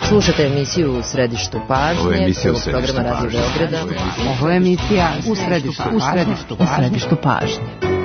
Slušate emisiju U središtu pažnje, prvog programa Radio Beograda. Ovo je emisija U središtu pažnje.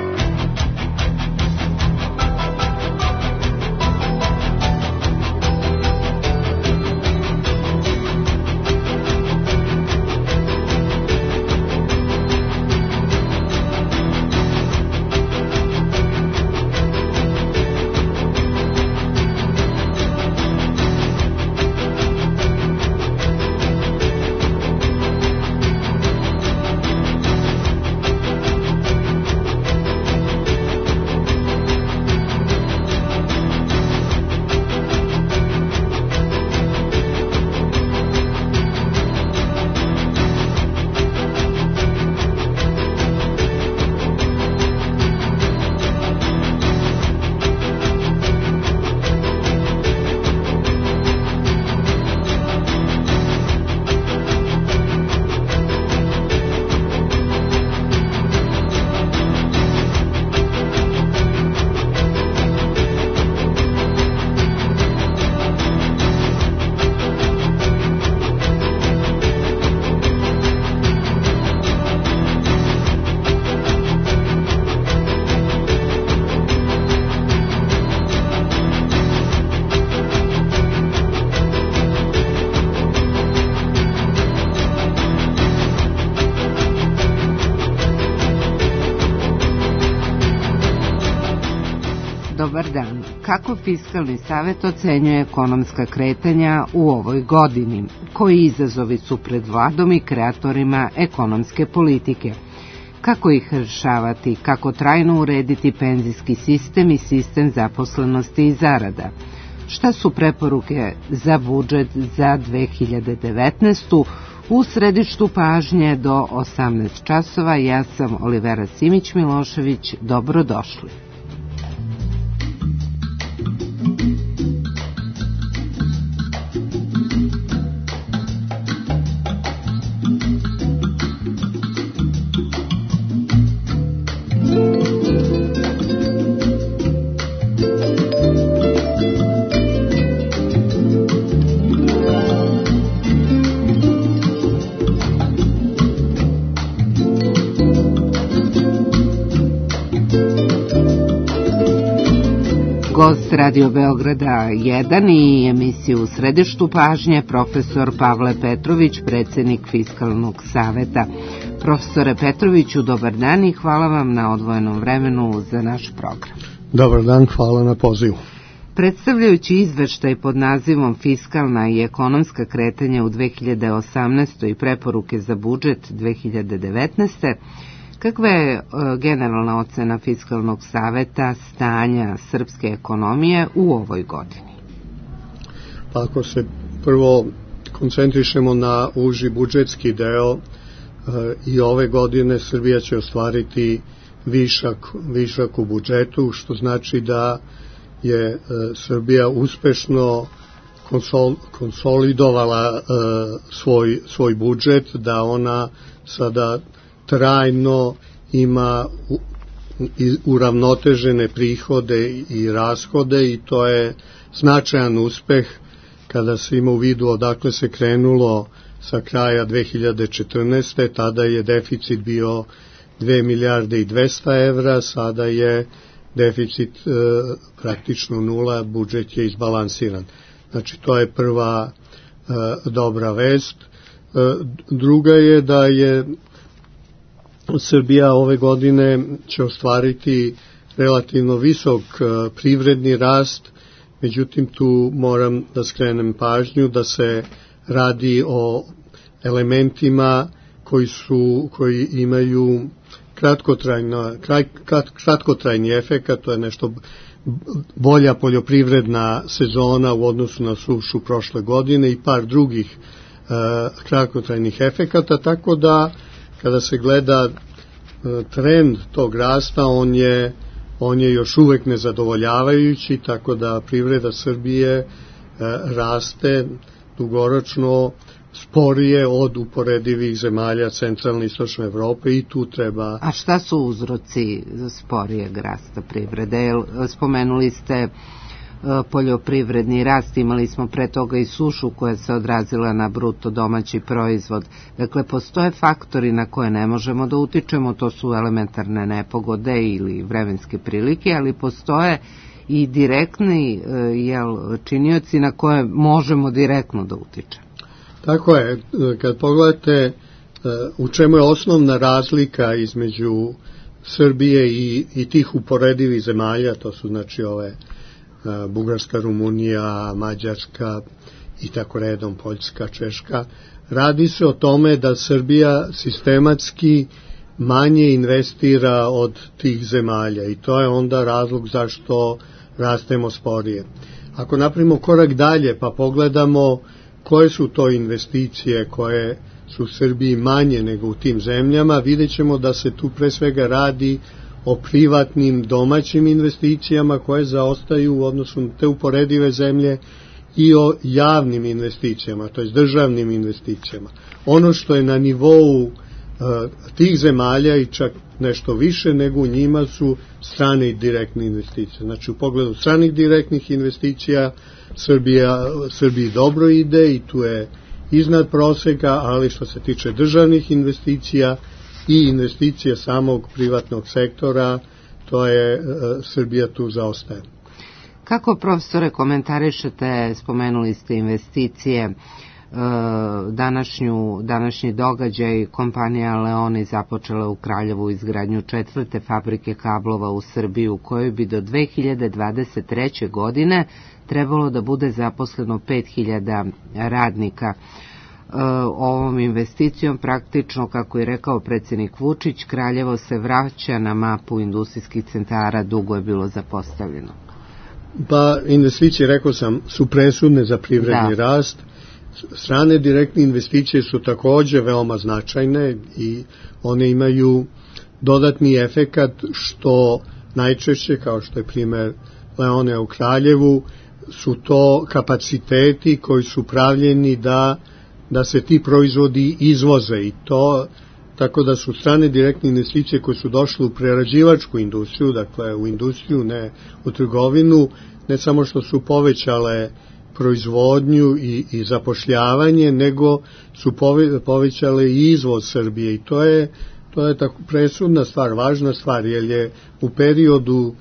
Dobar dan. Kako Fiskalni savet ocenjuje ekonomska kretanja u ovoj godini? Koji izazovi su pred vladom i kreatorima ekonomske politike? Kako ih rešavati? Kako trajno urediti penzijski sistem i sistem zaposlenosti i zarada? Šta su preporuke za budžet za 2019. U središtu pažnje do 18 časova. Ja sam Olivera Simić-Milošević. Dobrodošli. Gost Radio Beograda 1 i emisiju U središtu pažnje profesor Pavle Petrović, predsjednik Fiskalnog saveta. Profesore Petroviću, dobar dan i hvala vam na odvojenom vremenu za naš program. Dobar dan, hvala na pozivu. Predstavljajući izveštaj pod nazivom Fiskalna i ekonomska kretanja u 2018. i preporuke za budžet 2019. Kakva je generalna ocena Fiskalnog saveta stanja srpske ekonomije u ovoj godini? Pa ako se prvo koncentrišemo na uži budžetski deo, i ove godine Srbija će ostvariti višak u budžetu, što znači da je Srbija uspešno konsolidovala svoj budžet, da ona sada trajno ima uravnotežene prihode i rashode i to je značajan uspeh kada se ima u vidu odakle se krenulo sa kraja 2014. Tada je deficit bio 2 milijarde i 200 evra, sada je deficit praktično nula, budžet je izbalansiran. Znači to je prva dobra vest. Druga je da je Srbija ove godine će ostvariti relativno visok privredni rast, međutim tu moram da skrenem pažnju da se radi elementima koji imaju kratkotrajni efekat, to je nešto bolja poljoprivredna sezona u odnosu na sušu prošle godine i par drugih kratkotrajnih efekata, tako da kada se gleda trend tog rasta, on je još uvek nezadovoljavajući, tako da privreda Srbije raste dugoročno sporije od uporedivih zemalja centralne i istočne Evrope i tu treba... A šta su uzroci sporijeg rasta privrede? Spomenuli ste poljoprivredni rast, imali smo pre toga i sušu koja se odrazila na bruto domaći proizvod. Dakle, postoje faktori na koje ne možemo da utičemo, to su elementarne nepogode ili vremenske prilike, ali postoje i direktni činioci na koje možemo direktno da utičemo. Tako je, kad pogledate u čemu je osnovna razlika između Srbije i tih uporedivih zemalja, to su znači ove Bugarska, Rumunija, Mađarska i tako redom, Poljska, Češka, radi se o tome da Srbija sistematski manje investira od tih zemalja i to je onda razlog zašto rastemo sporije. Ako napravimo korak dalje pa pogledamo koje su to investicije koje su u Srbiji manje nego u tim zemljama, vidjet ćemo da se tu pre svega radi o privatnim domaćim investicijama koje zaostaju u odnosu na te uporedive zemlje i o javnim investicijama, to je državnim investicijama. Ono što je na nivou tih zemalja i čak nešto više nego u njima su strane i direktne investicije. Znači u pogledu stranih direktnih investicija Srbiji dobro ide i tu je iznad proseka, ali što se tiče državnih investicija i investicija samog privatnog sektora, to je Srbija tu zaostaje. Kako, profesore, komentarišete, spomenuli ste investicije, današnji događaj, kompanija Leoni započela u Kraljevu izgradnju 4. fabrike kablova u Srbiji, u kojoj bi do 2023. godine trebalo da bude zaposleno 5.000 radnika. Ovom investicijom praktično, kako je rekao predsjednik Vučić, Kraljevo se vraća na mapu industrijskih centara, dugo je bilo zapostavljeno. Pa investicije, rekao sam, su presudne za privredni rast. Strane direktne investicije su takođe veoma značajne i one imaju dodatni efekat što najčešće, kao što je primer Leone u Kraljevu, su to kapaciteti koji su pravljeni da se ti proizvodi izvoze i to tako da su strane direktne investicije koje su došle u prerađivačku industriju, dakle u industriju, ne u trgovinu, ne samo što su povećale proizvodnju i zapošljavanje, nego su povećale i izvoz Srbije i to je tako presudna stvar, važna stvar, jer je u periodu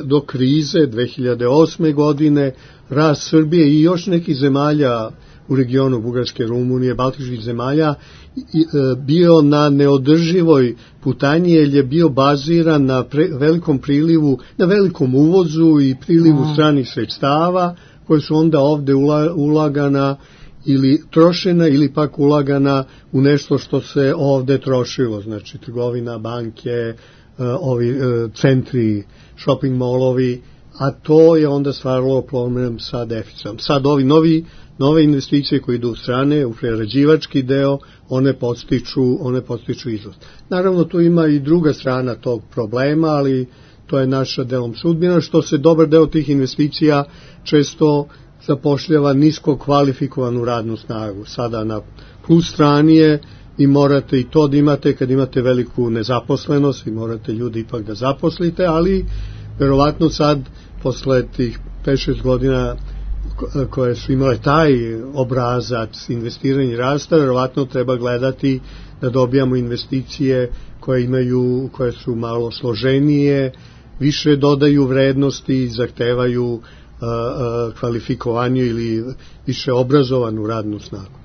do krize 2008. godine rast Srbije i još nekih zemalja u regionu Bugarske, Rumunije, Baltičkih zemalja bio na neodrživoj putanji, jer je bio baziran na velikom prilivu, na velikom uvozu i prilivu stranih sredstava koje su onda ovde ulagana ili trošena ili pak ulagana u nešto što se ovde trošilo, znači trgovina, banke, ovi centri, shopping mallovi, a to je onda stvaralo problem sa deficitom. Sad ovi nove investicije koje idu u strane, u prerađivački deo, one podstiču izvoz. Naravno, tu ima i druga strana tog problema, ali to je naša delom sudbina, što se dobar deo tih investicija često zapošljava nisko kvalifikovanu radnu snagu. Sada na plus strani je i morate i to da imate, kad imate veliku nezaposlenost, i morate ljudi ipak da zaposlite, ali verovatno sad, posle tih 5-6 godina koje su imale taj obrazac investiranja i rasta, verovatno treba gledati da dobijamo investicije koje su malo složenije, više dodaju vrednosti i zahtevaju kvalifikovanju ili više obrazovanu radnu snagu.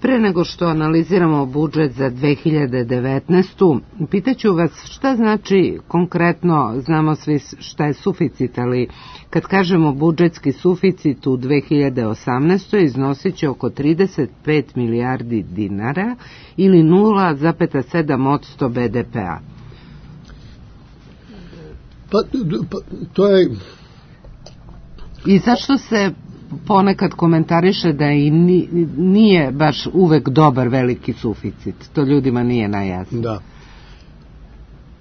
Pre nego što analiziramo budžet za 2019. Pitaću vas šta znači konkretno, znamo svi šta je suficit, ali kad kažemo budžetski suficit u 2018. iznosit će oko 35 milijardi dinara ili 0,7% BDP-a. Pa to je... I zašto se ponekad komentariše da i nije baš uvek dobar veliki suficit? To ljudima nije najjasno. Da.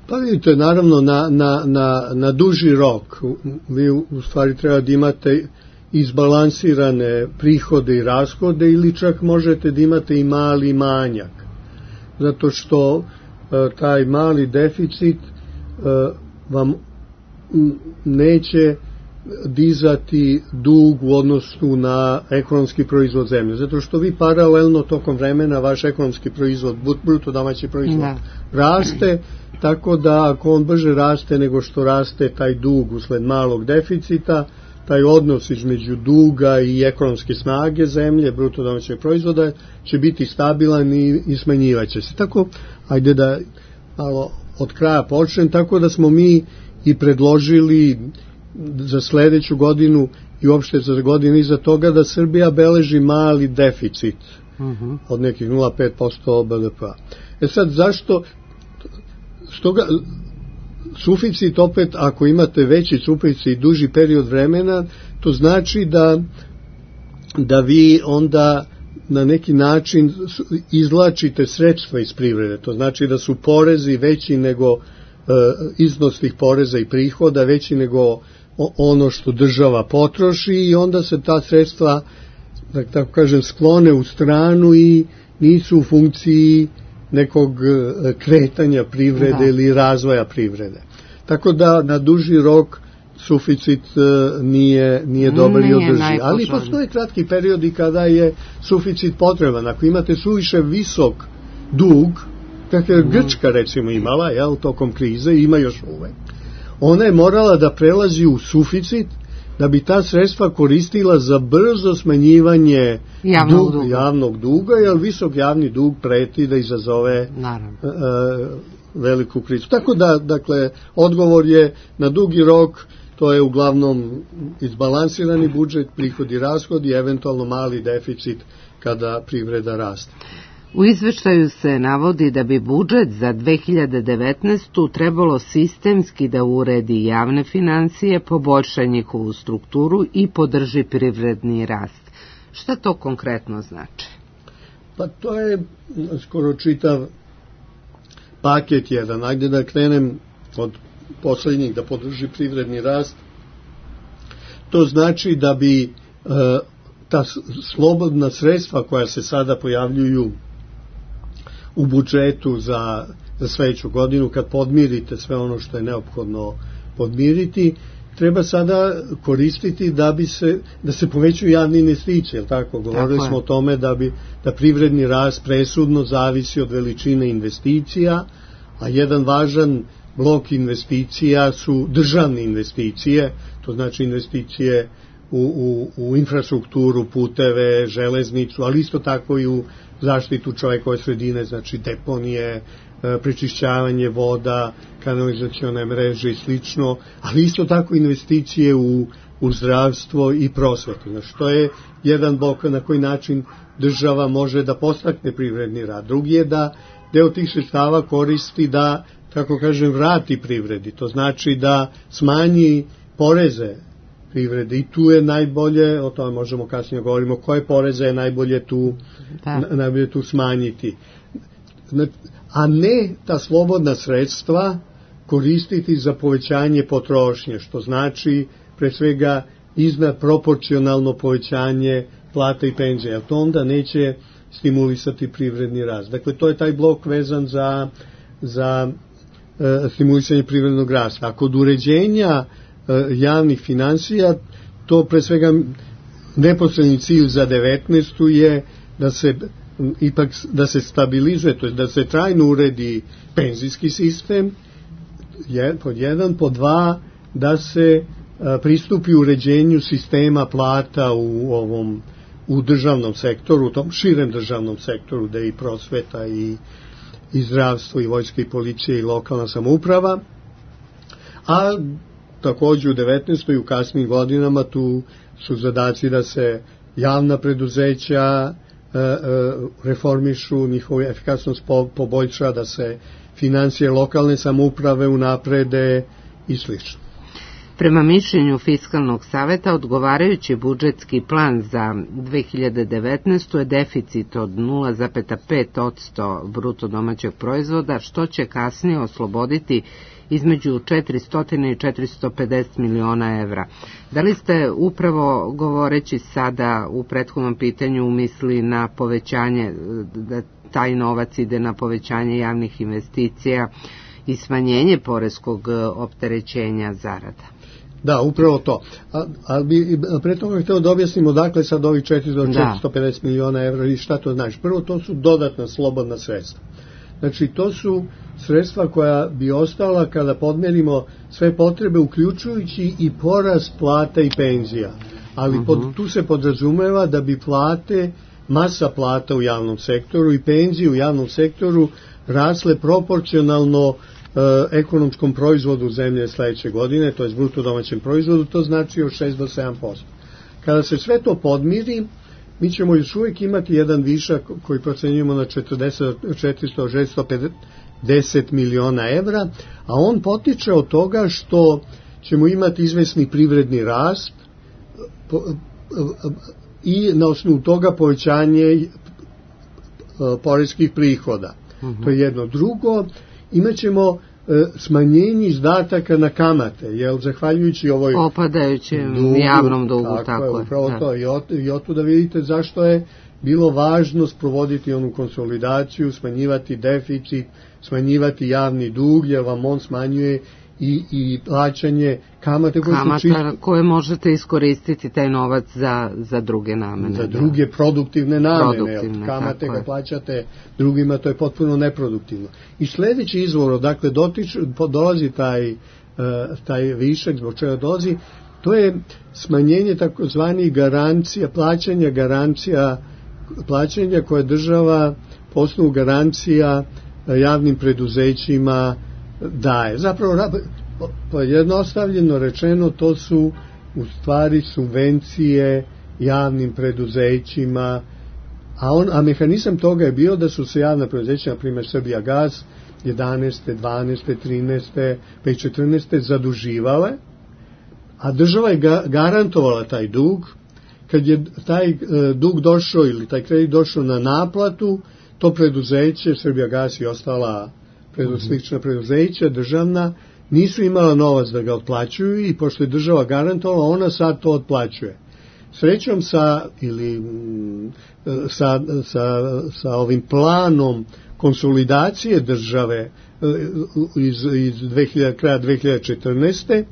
Pa vidite, naravno na duži rok vi u stvari treba da imate izbalansirane prihode i rashode ili čak možete da imate i mali manjak. Zato što taj mali deficit vam neće dizati dug u odnosu na ekonomski proizvod zemlje. Zato što vi paralelno tokom vremena vaš ekonomski proizvod, bruto domaći proizvod, raste, tako da ako on brže raste nego što raste taj dug usled malog deficita, taj odnos između duga i ekonomske snage zemlje, bruto domaćeg proizvoda, će biti stabilan i smanjivaće se. Tako, ajde da malo od kraja počnem, tako da smo mi i predložili za sledeću godinu i uopšte za godinu iza toga da Srbija beleži mali deficit od nekih 0,5% BDP-a. Sad, zašto? Stoga, suficit opet, ako imate veći suficit i duži period vremena, to znači da vi onda na neki način izvlačite sredstva iz privrede. To znači da su porezi veći nego iznos tih poreza i prihoda, veći nego ono što država potroši i onda se ta sredstva, da tako kažem, sklone u stranu i nisu u funkciji nekog kretanja privrede ili razvoja privrede. Tako da na duži rok suficit nije dobar i održiv. Ali postoje kratki periodi kada je suficit potreban. Ako imate suviše visok dug, kako je Grčka recimo imala tokom krize, ima još uvek, ona je morala da prelazi u suficit da bi ta sredstva koristila za brzo smanjivanje javnog duga, jer visok javni dug preti da izazove veliku krizu. Tako da, dakle, odgovor je na dugi rok, to je uglavnom izbalansirani budžet, prihodi i rashodi, eventualno mali deficit kada privreda raste. U izveštaju se navodi da bi budžet za 2019. trebalo sistemski da uredi javne financije, poboljša njihovu strukturu i podrži privredni rast. Šta to konkretno znači? Pa to je skoro čitav paket jedan. Ajde da krenem od poslednjih, da podrži privredni rast. To znači da bi ta slobodna sredstva koja se sada pojavljuju u budžetu za sledeću godinu, kad podmirite sve ono što je neophodno podmiriti, treba sada koristiti da se povećaju javne investicije, tako? Govorili smo o tome da privredni rast presudno zavisi od veličine investicija, a jedan važan blok investicija su državne investicije, to znači investicije u infrastrukturu, puteve, železnicu, ali isto tako i u zaštitu čovekove sredine, znači deponije, prečišćavanje voda, kanalizacione mreže i slično, ali isto tako investicije u zdravstvo i prosvetu. Znači, to je jedan blok na koji način država može da podstakne privredni rad. Drugi je da deo tih sredstava koristi da, kako kažem, vrati privredi. To znači da smanji poreze privrede i tu je najbolje, o tome možemo kasnije govorimo, koje poreze je najbolje tu smanjiti. A ne ta slobodna sredstva koristiti za povećanje potrošnje, što znači pre svega iznad proporcionalno povećanje plata i penzija, jer to onda neće stimulisati privredni rast. Dakle, to je taj blok vezan za stimulisanje privrednog rasta. A kod uređenja javnih finansija, to pre svega neposredni cilj za 19. je da se stabilizuje, to je da se trajno uredi penzijski sistem, pod jedan, pod dva, da se pristupi uređenju sistema plata u državnom sektoru, u tom širem državnom sektoru, gde je i prosveta i zdravstvo i vojska i policija i lokalna samouprava, a takođe u 19. i u kasnim godinama tu su zadaci da se javna preduzeća reformišu, njihovu efikasnost poboljša, da se finansije lokalne samouprave unaprede i slično. Prema mišljenju Fiskalnog saveta, odgovarajući budžetski plan za 2019. je deficit od 0,5% bruto domaćeg proizvoda, što će kasnije osloboditi između 400 i 450 miliona evra. Da li ste upravo govoreći sada u prethodnom pitanju mislili na povećanje, da taj novac ide na povećanje javnih investicija i smanjenje poreskog opterećenja zarada? Da, upravo to. Ali bi pre toga htio da objasnimo dakle sad ovih 450 miliona evra i šta to znači. Prvo, to su dodatna slobodna sredstva. Znači, to su sredstva koja bi ostala kada podmerimo sve potrebe, uključujući i porast plata i penzija. Ali tu se podrazumeva da bi plate, masa plata u javnom sektoru i penzije u javnom sektoru rasle proporcionalno ekonomskom proizvodu zemlje sledeće godine, to je bruto domaćem proizvodu, to znači od 6 do 7%. Kada se sve to podmiri, mi ćemo još uvijek imati jedan višak koji procenjujemo na 400-650 miliona evra, a on potiče od toga što ćemo imati izvesni privredni rast i na osnovu toga povećanje poreskih prihoda. To je jedno. Drugo, imat ćemo smanjenje izdataka na kamate, jer zahvaljujući ovoj opadajućem javnom dugu, tako je. Upravo to. I od tu da vidite zašto je bilo važno sprovoditi onu konsolidaciju, smanjivati deficit, smanjivati javni dug, jer vam on smanjuje i plaćanje kamate koje možete iskoristiti taj novac za druge namene. Za druge produktivne namene. Kamate kad plaćate drugima, to je potpuno neproduktivno. I sledeći izvor, dakle, dolazi taj višak, zbog čega dolazi, to je smanjenje takozvanih garancija, plaćanja koje država po osnovu garancija javnim preduzećima daje. Zapravo, jednostavljeno rečeno, to su u stvari subvencije javnim preduzećima, a mehanizam toga je bio da su se javna preduzeća, na primjer Srbijagas, 11., 12., 13., pa i 14. zaduživale, a država je garantovala taj dug. Kad je taj dug došao ili taj kredit došao na naplatu, to preduzeće, Srbijagas i ostala slična preduzeća državna, nisu imala novac da ga otplaćuju i pošto je država garantovala, ona sad to otplaćuje. Srećom sa ovim planom konsolidacije države iz kraja 2014.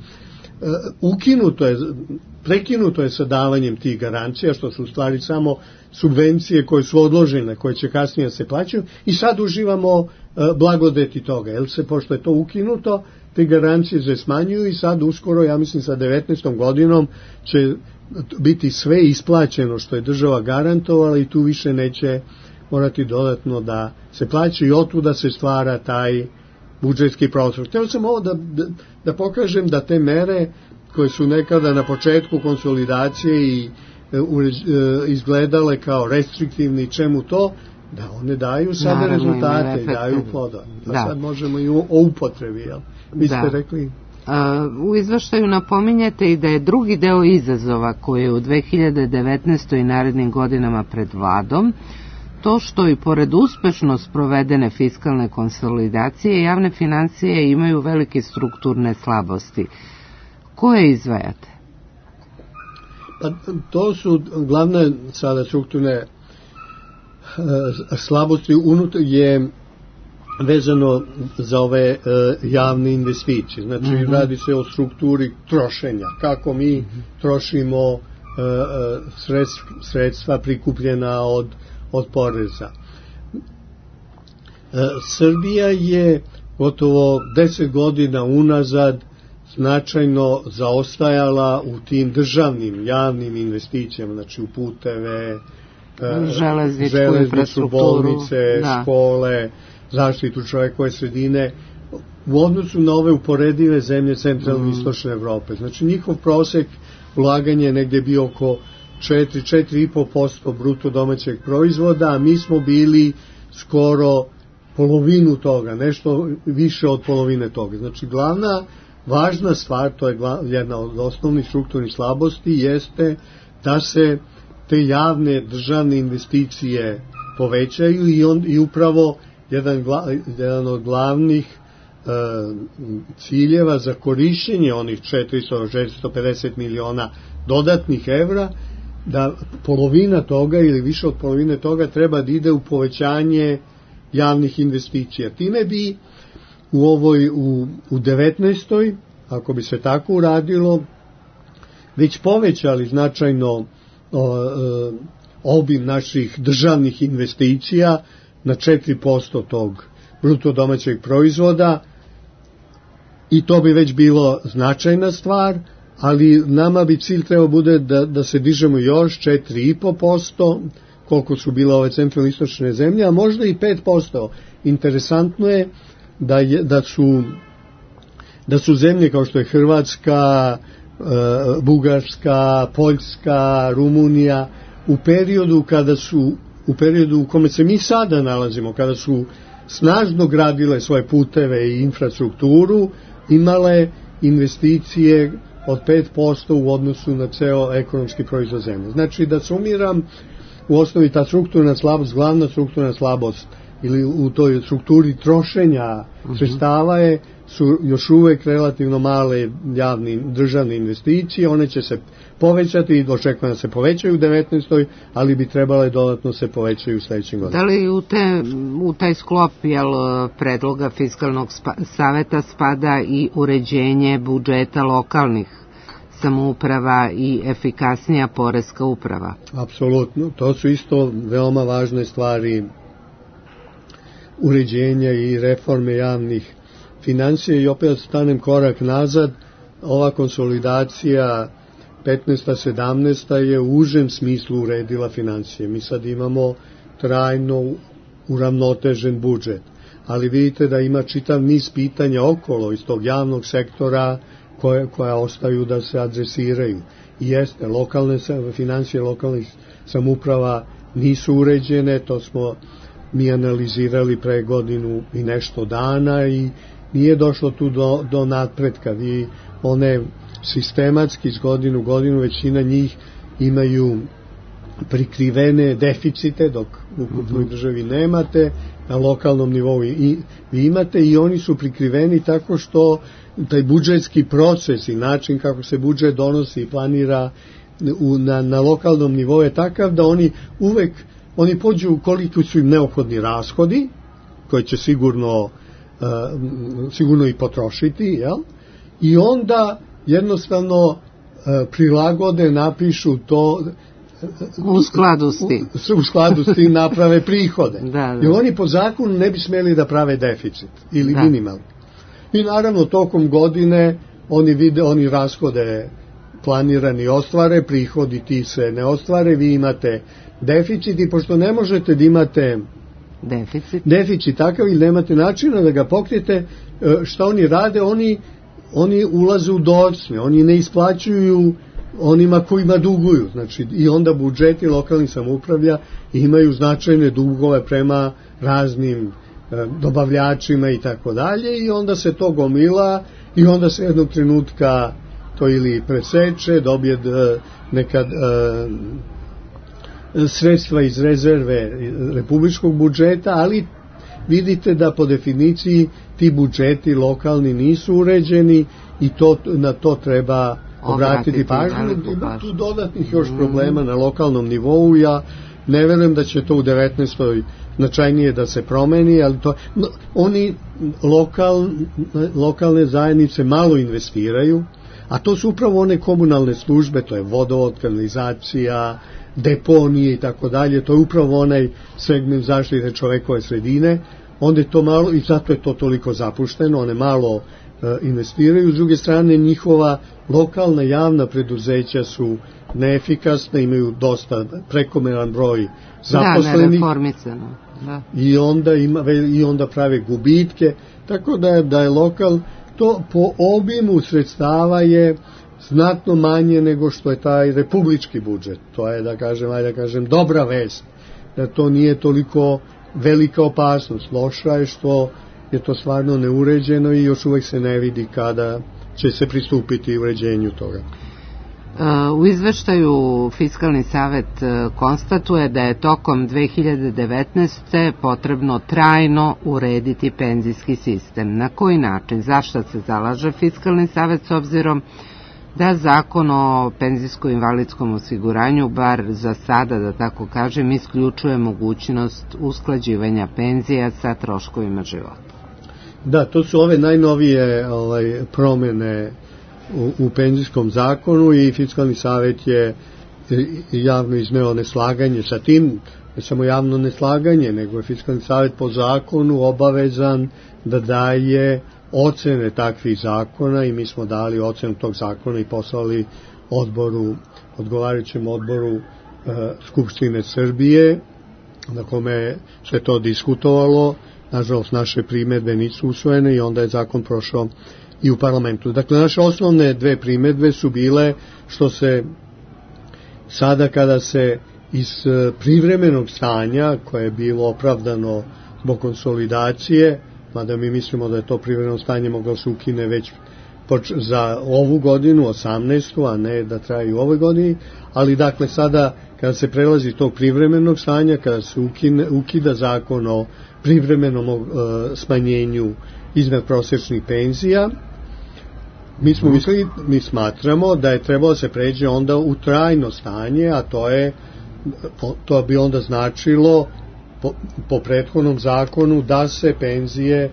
prekinuto je sa davanjem tih garancija, što su u stvari samo subvencije koje su odložene, koje će kasnije se plaćaju, i sad uživamo blagodeti toga. Jer pošto je to ukinuto, te garancije se smanjuju i sad uskoro, ja mislim sa 19. godinom, će biti sve isplaćeno što je država garantovala i tu više neće morati dodatno da se plaća i otuda se stvara taj budžetski prostor. Htio sam ovo da pokažem da te mere koje su nekada na početku konsolidacije i izgledale kao restriktivni, čemu to, da one daju sada rezultate i daju ploda. Sad možemo i o upotrebi, jel? Vi ste rekli... U izveštaju napominjete i da je drugi deo izazova koji je u 2019. i narednim godinama pred Vladom to što i pored uspešno sprovedene fiskalne konsolidacije javne financije imaju velike strukturne slabosti. Koje izdvajate? To su glavne sada strukturne slabosti je vezano za ove javne investicije. Znači, radi se o strukturi trošenja. Kako mi trošimo sredstva prikupljena od poreza. Srbija je gotovo 10 godina unazad značajno zaostajala u tim državnim javnim investicijama, znači u puteve, železnicu, bolnice, škole, zaštitu čovekove sredine, u odnosu na ove uporedive zemlje centralne i istočne Evrope. Znači, njihov prosek ulaganja je negdje bio oko 4,5% bruto domaćeg proizvoda, a mi smo bili skoro polovinu toga, nešto više od polovine toga. Znači, glavna važna stvar, to je jedna od osnovnih strukturnih slabosti, jeste da se te javne državne investicije povećaju i upravo jedan od glavnih ciljeva za korišćenje onih 450 miliona dodatnih evra, da polovina toga ili više od polovine toga treba da ide u povećanje javnih investicija. Time bi u 19. ako bi se tako uradilo, već povećali značajno obim naših državnih investicija na 4% tog bruto domaćeg proizvoda i to bi već bilo značajna stvar, ali nama bi cilj trebao bude da se dižemo još 4,5%, koliko su bile ove centralno-istočne zemlje, a možda i 5%. Interesantno je da su zemlje kao što je Hrvatska, Bugarska, Poljska, Rumunija, u periodu u kome se mi sada nalazimo, kada su snažno gradile svoje puteve i infrastrukturu, imale investicije od 5% u odnosu na ceo ekonomski proizvod zemlje. Znači, da sumiram, u osnovi ta strukturna slabost, glavna strukturna slabost ili u toj strukturi trošenja sredstava su još uvek relativno male državne investicije, one će se povećati i očekujem da se povećaju u 19. ali bi trebale dodatno se povećaju u sledećim godinama. Da li u taj sklop predloga Fiskalnog saveta spada i uređenje budžeta lokalnih samouprava i efikasnija poreska uprava? Apsolutno, to su isto veoma važne stvari uređenja i reforme javnih financija i opet stanem korak nazad, ova konsolidacija 15-17 je u užem smislu uredila financije. Mi sad imamo trajno uravnotežen budžet, ali vidite da ima čitav niz pitanja okolo iz tog javnog sektora koja ostaju da se adresiraju. I jeste, financije lokalnih samouprava nisu uređene, to smo mi analizirali pre godinu i nešto dana i nije došlo tu do napretka. One sistematski iz godinu u godinu većina njih imaju prikrivene deficite, dok u ukupnoj državi nemate, na lokalnom nivou vi imate i oni su prikriveni tako što taj budžetski proces i način kako se budžet donosi i planira na lokalnom nivou je takav da oni pođu koliko su im neophodni rashodi, koje će sigurno i potrošiti, jel? I onda jednostavno prilagode, napišu to u skladu s tim naprave prihode. Jer oni po zakonu ne bi smeli da prave deficit ili minimalno. I naravno tokom godine oni rashode planirani ostvare, prihodi ti se ne ostvare, vi imate deficit i pošto ne možete da imate deficit takav ili nemate načina da ga pokrijete, šta oni rade, oni ulaze u docne, oni ne isplaćuju onima kojima duguju, znači i onda budžeti lokalnih samoupravlja imaju značajne dugove prema raznim dobavljačima i tako dalje i onda se to gomila i onda se jednog trenutka to ili preseče, dobije nekad sredstva iz rezerve republičkog budžeta, ali vidite da po definiciji ti budžeti lokalni nisu uređeni i na to treba obratiti pažnju. Ima tu dodatnih još problema na lokalnom nivou, ja ne verujem da će to u 19. značajnije da se promeni, ali oni lokalne zajednice malo investiraju, a to su upravo one komunalne službe, to je vodovod, kanalizacija, deponije i tako dalje, to je upravo onaj segment zaštite čovekove sredine, onda je to malo i zato je to toliko zapušteno, one malo investiraju, s druge strane njihova lokalna javna preduzeća su neefikasna, imaju dosta prekomeran broj zaposlenih i onda prave gubitke, tako da je lokal, to po obimu sredstava je znatno manje nego što je taj republički budžet. To je, da kažem, dobra vest, da to nije toliko velika opasnost. Loša je što je to stvarno neuređeno i još uvek se ne vidi kada će se pristupiti uređenju toga. U izveštaju Fiskalni savet konstatuje da je tokom 2019. potrebno trajno urediti penzijski sistem. Na koji način? Zašto se zalaže Fiskalni savet s obzirom da Zakon o penzijsko-invalidskom osiguranju, bar za sada, da tako kažem, isključuje mogućnost usklađivanja penzija sa troškovima života? Da, to su ove najnovije promene u penzijskom zakonu i Fiskalni savet je javno izneo neslaganje sa tim, ne samo javno neslaganje, nego je Fiskalni savet po zakonu obavezan da daje ocene takvih zakona i mi smo dali ocenu tog zakona i poslali odgovarajućem odboru Skupštine Srbije, na kome se to diskutovalo. Nažalost, naše primedbe nisu usvojene i onda je zakon prošao i u parlamentu. Dakle, naše osnovne dve primedbe su bile što se sada kada se iz privremenog stanja, koje je bilo opravdano zbog konsolidacije, mada mi mislimo da je to privremeno stanje moglo se ukine već za ovu godinu, 18. a ne da traje u ovoj godini, ali dakle sada kada se prelazi tog privremenog stanja, kada se ukida zakon o privremenom smanjenju iznad prosječnih penzija, mi smatramo da je trebalo se pređe onda u trajno stanje, a to bi onda značilo po prethodnom zakonu da se penzije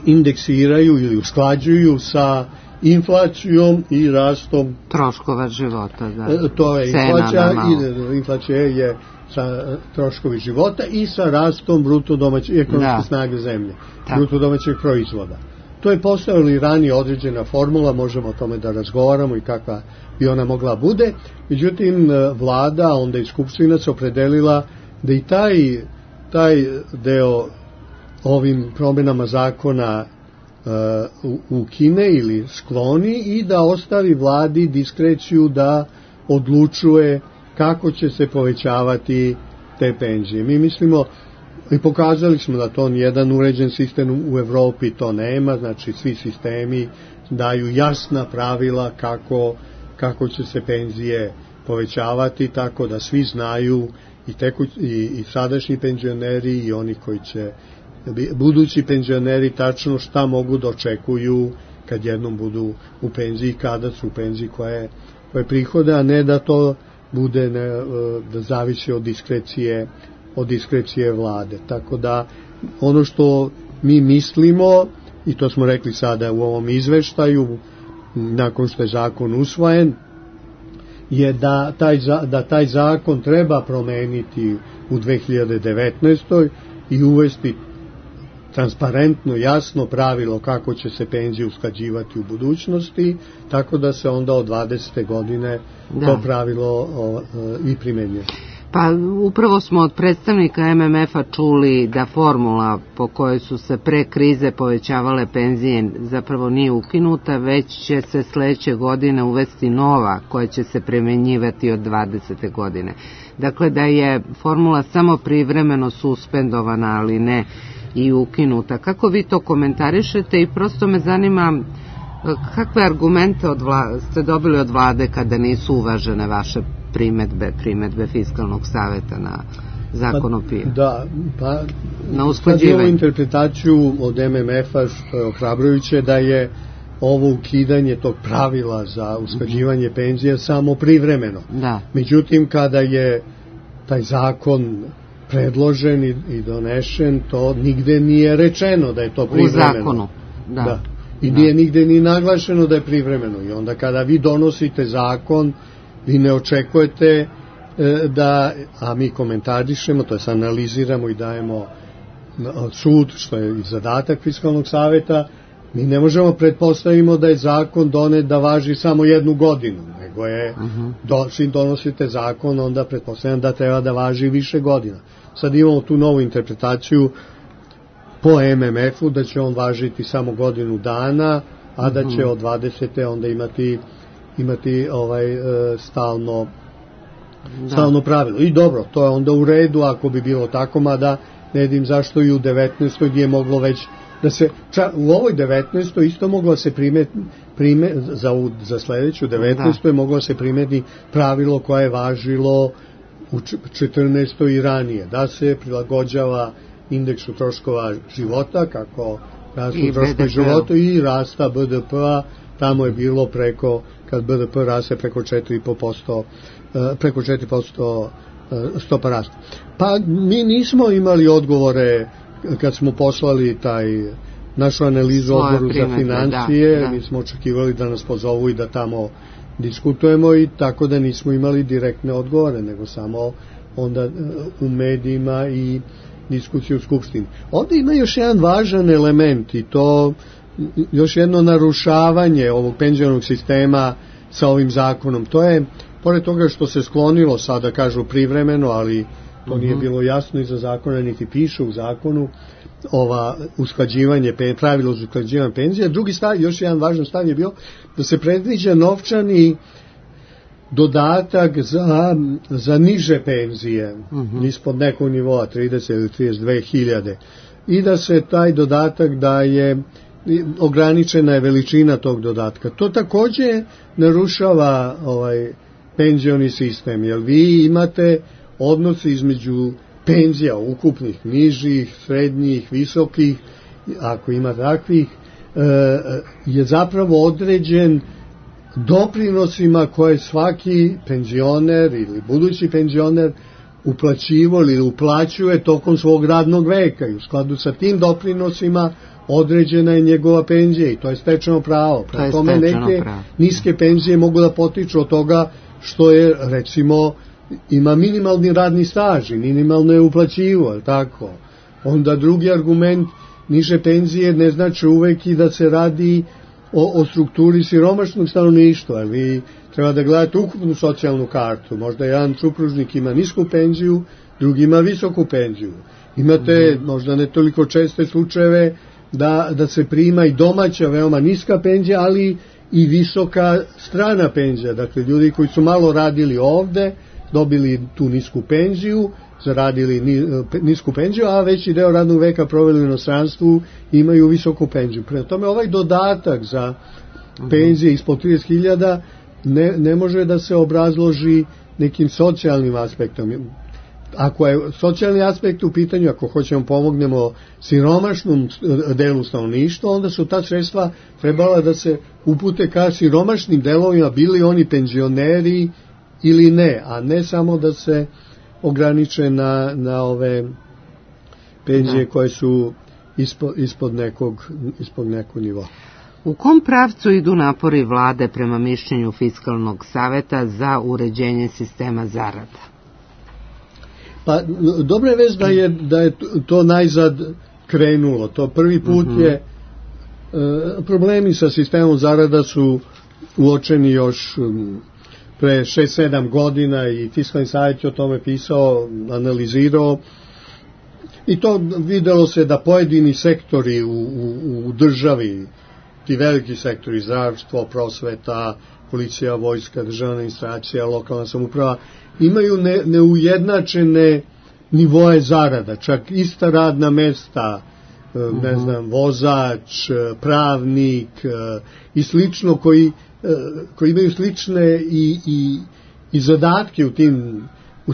indeksiraju ili usklađuju sa inflacijom i rastom troškova života. Da. To je inflacija je sa troškovi života i sa rastom bruto domaće ekonomske snage zemlje, bruto domaćeg proizvoda. To je postojala i ranije određena formula, možemo o tome da razgovaramo i kakva bi ona mogla bude. Međutim, vlada, onda i Skupština se opredelila da i taj deo ovim promjenama zakona ukine ili skloni i da ostavi vladi diskreciju da odlučuje kako će se povećavati te penzije. Mi mislimo i pokazali smo da to nijedan uređen sistem u Evropi to nema, znači svi sistemi daju jasna pravila kako će se penzije povećavati, tako da svi znaju i sadašnji penzioneri i oni koji će budući penzioneri tačno šta mogu da očekuju kad jednom budu u penziji, kada su u penziji, koje prihode, a ne da to bude da zavisi od diskrecije vlade. Tako da ono što mi mislimo, i to smo rekli sada u ovom izveštaju, nakon što je zakon usvojen, je da taj zakon treba promeniti u 2019. i uvesti transparentno, jasno pravilo kako će se penzije usklađivati u budućnosti, tako da se onda od 20. godine to pravilo i primenjuje. Pa upravo smo od predstavnika MMF-a čuli da formula po kojoj su se pre krize povećavale penzije zapravo nije ukinuta, već će se sledeće godine uvesti nova koja će se primenjivati od 20. godine. Dakle, da je formula samo privremeno suspendovana, ali ne i ukinuta. Kako vi to komentarišete i prosto me zanima kakve argumente ste dobili od vlade kada nisu uvažene vaše primedbe Fiskalnog saveta na zakon o PIO? Na usklađivanje. Sad interpretaciju od MMF-a što je ohrabrujuće da je ovo ukidanje tog pravila za usklađivanje penzija samo privremeno. Međutim, kada je taj zakon predložen i donešen, to nigde nije rečeno da je to privremeno. U zakonu, I nije nigde ni naglašeno da je privremeno. I onda kada vi donosite zakon, vi ne očekujete a mi komentarišemo, to je analiziramo i dajemo sud, što je i zadatak Fiskalnog saveta, mi ne možemo pretpostavimo da je zakon donet da važi samo jednu godinu, nego je, čim donosite zakon, onda pretpostavljam da treba da važi više godina. Sad imamo tu novu interpretaciju po MMF-u da će on važiti samo godinu dana, a da će od 20. onda imati stalno pravilo. I dobro, to je onda u redu ako bi bilo tako, mada ne vidim zašto i u 19. gdje je moglo već da se, u ovoj 19. isto moglo se za sledeću 19. je moglo se primeti pravilo koje je važilo u 14. i ranije, da se prilagođava indeksu troškova života, kako rastu troškovi života i rasta BDP-a, tamo je bilo kad BDP raste preko 4% stopa rasta. Pa mi nismo imali odgovore kad smo poslali našu analizu odboru za financije, mi smo očekivali da nas pozovu i da tamo diskutujemo, i tako da nismo imali direktne odgovore, nego samo onda u medijima i diskusiju u Skupštini. Ovdje ima još jedan važan element, i to još jedno narušavanje ovog penzionog sistema sa ovim zakonom. To je, pored toga što se sklonilo, sada kažu privremeno, ali to nije bilo jasno iza zakona, niti piše u zakonu, pravilo za usklađivanje penzija. Drugi stav, još jedan važan stav je bio da se predviđa novčani dodatak za niže penzije, ispod nekog nivoa, 30 ili 32 hiljade, i da se taj dodatak daje, ograničena je veličina tog dodatka. To također narušava penzioni sistem, jer vi imate odnose između penzija ukupnih, nižih, srednjih, visokih, ako ima takvih, je zapravo određen doprinosima koje svaki penzioner ili budući penzioner uplaćivo ili uplaćuje tokom svog radnog veka, i u skladu sa tim doprinosima određena je njegova penzija, i to je stečeno pravo. Prema tome neke niske penzije mogu da potiču od toga što je, recimo, ima minimalni radni staž i minimalno je uplaćivo, je tako? Onda drugi argument, niže penzije ne znači uvek i da se radi o strukturi siromašnog stanovništva. Vi treba da gledate ukupnu socijalnu kartu. Možda jedan supružnik ima nisku penziju, drugi ima visoku penziju. Imate možda ne toliko česte slučajeve da se prima i domaća veoma niska penzija, ali i visoka strana penzija. Dakle, ljudi koji su malo radili ovde, dobili tu nisku penziju, zaradili nisku penziju, a veći deo radnog veka proveli u inostranstvu, imaju visoku penziju. Prema tome, ovaj dodatak za penzije ispod 30.000 ne može da se obrazloži nekim socijalnim aspektom. Ako je socijalni aspekt u pitanju, ako hoćemo pomognemo siromašnom delu stanovništva, onda su ta sredstva trebala da se upute ka siromašnim delovima, bili oni penzioneri ili ne, a ne samo da se ograniče na ove penzije koje su ispod nekog nivoa. U kom pravcu idu napori vlade prema mišljenju Fiskalnog saveta za uređenje sistema zarada? Pa, dobra je vest da je to najzad krenulo. To prvi put je, problemi sa sistemom zarada su uočeni još pre 6-7 godina, i Fiskalni savjet je o tome pisao, analizirao, i to videlo se da pojedini sektori u državi, ti veliki sektori, zdravstvo, prosveta, policija, vojska, državna administracija, lokalna samouprava, imaju neujednačene nivoe zarada, čak ista radna mesta, ne znam, vozač, pravnik i slično, koji imaju slične i zadatke u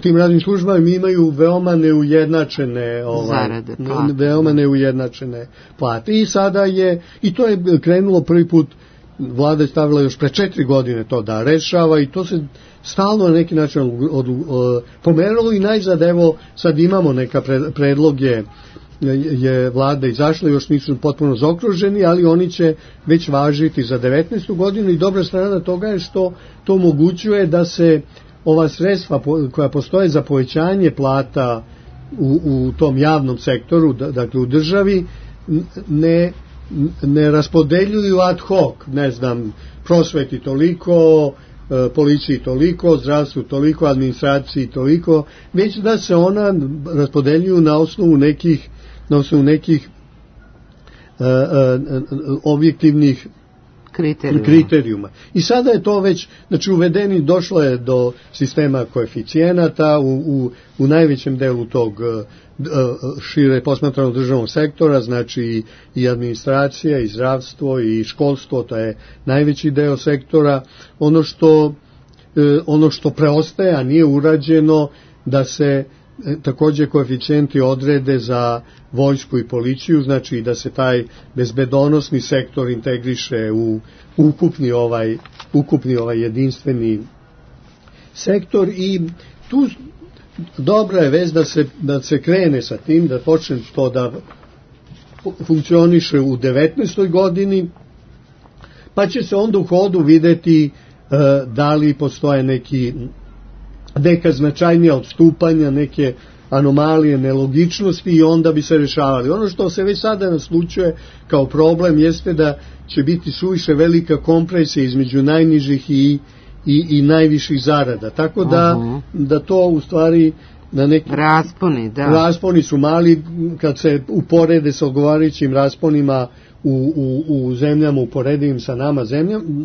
tim radnim službama, imaju veoma neujednačene zarade, veoma neujednačene plate. I sada i to je krenulo prvi put, vlada je stavila još pre 4 godine to da rešava, i to se stalno na neki način pomeralo, i najzad, evo, sad imamo neka predloge, je vlada izašla, još nisu potpuno zaokruženi, ali oni će već važiti za 19. godinu, i dobra strana toga je što to omogućuje da se ova sredstva koja postoje za povećanje plata u tom javnom sektoru, dakle u državi, ne raspodeljuju ad hoc, ne znam, prosveti toliko, policiji toliko, zdravstvu toliko, administraciji toliko, već da se ona raspodeljuju na osnovu nekih objektivnih kriterijuma. I sada je to već, znači, uvedeni, došlo je do sistema koeficijenata u najvećem delu tog šire posmatranog državnog sektora, znači i administracija, i zdravstvo, i školstvo, to je najveći deo sektora. Ono što preostaje, a nije urađeno, da se također koeficijenti odrede za vojsku i policiju, znači da se taj bezbedonosni sektor integriše u ukupni ovaj jedinstveni sektor. I tu dobra je vez da se krene sa tim, da počne to funkcioniše u 19. godini, pa će se onda u hodu videti da li postoje neka značajnija odstupanja, neke anomalije, nelogičnosti i onda bi se rešavali. Ono što se već sada naslučuje kao problem jeste da će biti suviše velika kompresija između najnižih i najviših zarada. Tako da to u stvari na neki rasponi su mali kad se uporede sa odgovarajućim rasponima u zemljama uporedivim sa nama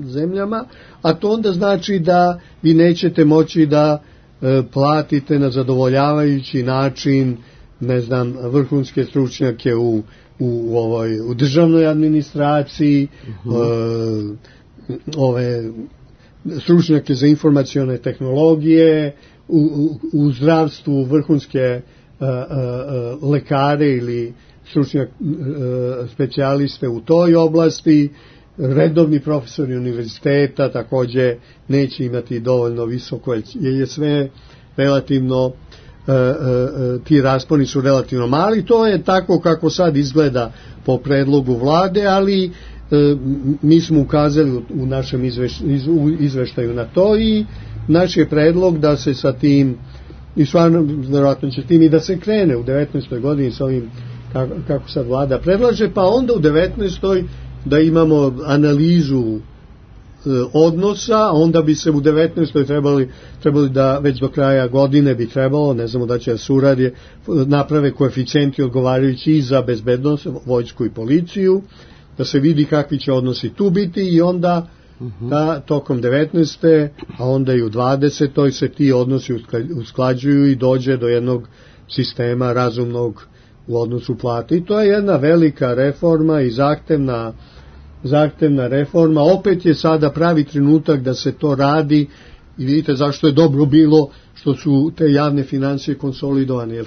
zemljama, a to onda znači da vi nećete moći da platite na zadovoljavajući način, ne znam, vrhunske stručnjake u državnoj administraciji, ove stručnjake za informacione tehnologije, u zdravstvu vrhunske lekare ili stručnjak specijaliste u toj oblasti. Redovni profesori univerziteta takođe neće imati dovoljno visoko, jer je sve relativno, ti rasponi su relativno mali. To je tako kako sad izgleda po predlogu vlade, ali mi smo ukazali u našem izveštaju na to i naš je predlog da se sa tim, i stvarno vjerojatno će tim i da se krene u 19. godini sa ovim kako sad vlada predlaže, pa onda u 19. da imamo analizu odnosa, onda bi se u 19. trebali da već do kraja godine bi trebalo, ne znamo da će da se uradi, naprave koeficijenti odgovarajući i za bezbednost, vojsku i policiju, da se vidi kakvi će odnosi tu biti i onda tokom 19. a onda i u 20. se ti odnosi usklađuju i dođe do jednog sistema razumnog u odnosu plate. I to je jedna velika reforma i zahtevna reforma. Opet je sada pravi trenutak da se to radi i vidite zašto je dobro bilo što su te javne financije konsolidovane. Jer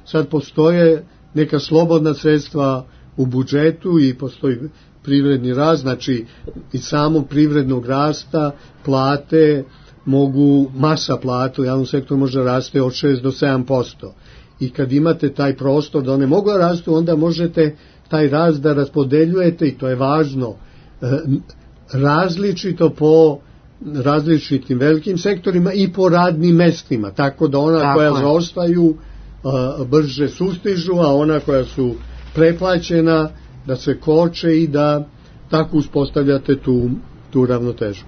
sad postoje neka slobodna sredstva u budžetu i postoji privredni rast, znači iz samog privrednog rasta plate masa plata u javnom sektoru može raste od 6 do 7%. I kad imate taj prostor da one mogu da rastu, onda možete taj rast da raspodeljujete, i to je važno, različito po različitim velikim sektorima i po radnim mestima, tako da ona koja zaostaju brže sustižu, a ona koja su preplaćena da se koče i da tako uspostavljate tu ravnotežu.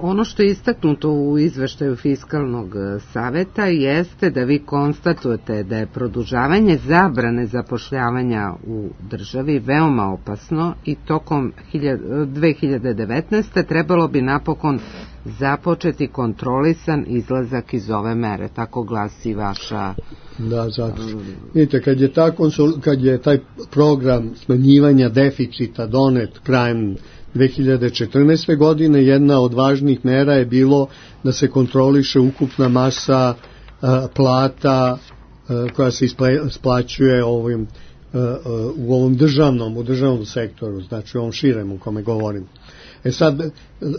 Ono što je istaknuto u izveštaju Fiskalnog saveta jeste da vi konstatujete da je produžavanje zabrane zapošljavanja u državi veoma opasno i tokom 2019. trebalo bi napokon započeti kontrolisan izlazak iz ove mere. Tako glasi vaša... Da, zato. Vidite, kad je taj program smanjivanja deficita donet krajem 2014. godine, jedna od važnih mera je bilo da se kontroliše ukupna masa plata koja se isplaćuje u ovom državnom sektoru, znači u ovom širem u kome govorim. Sad,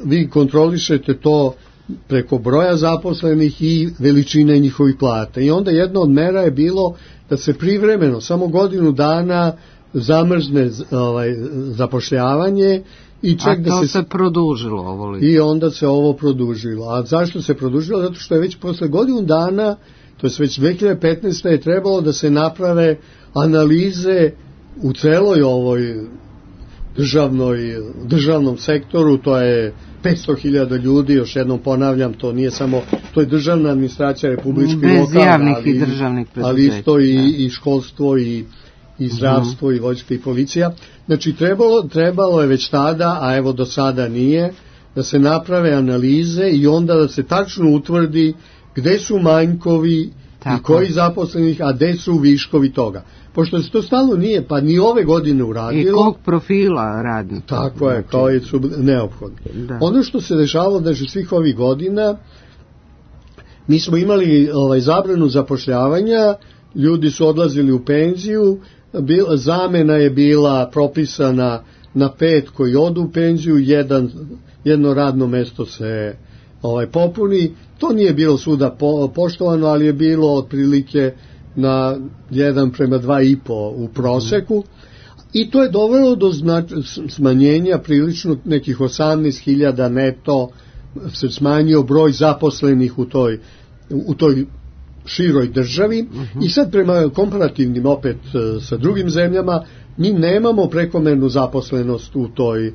vi kontrolišete to preko broja zaposlenih i veličine njihovih plata. I onda jedna od mera je bilo da se privremeno, samo godinu dana, zamrzne zapošljavanje. A to se produžilo ovo? I onda se ovo produžilo. A zašto se produžilo? Zato što je već posle godinu dana, to je već 2015. je trebalo da se naprave analize u celoj ovoj državnom sektoru, to je 500.000 ljudi, još jednom ponavljam, to nije samo, to je državna administracija, republički i lokalna, ali isto i školstvo i zdravstvo i vojska i policija. Znači trebalo je već tada, a evo do sada nije, da se naprave analize i onda da se tačno utvrdi gde su manjkovi i koji zaposlenih, a gde su viškovi toga. Pošto se to stalno nije, pa ni ove godine uradilo. I kog profila radnika. Tako je, koji su neophodni. Da. Ono što se dešavalo da je svih ovih godina, mi smo imali zabranu zapošljavanja, ljudi su odlazili u penziju, zamena je bila propisana na 5 koji odu u penziju, jedno radno mesto se popuni. To nije bilo svuda poštovano, ali je bilo otprilike na 1:2,5 u proseku, i to je dovelo do smanjenja prilično nekih 18.000 neto, se smanjio broj zaposlenih u toj široj državi. I sad prema komparativnim opet sa drugim zemljama mi nemamo prekomernu zaposlenost u toj,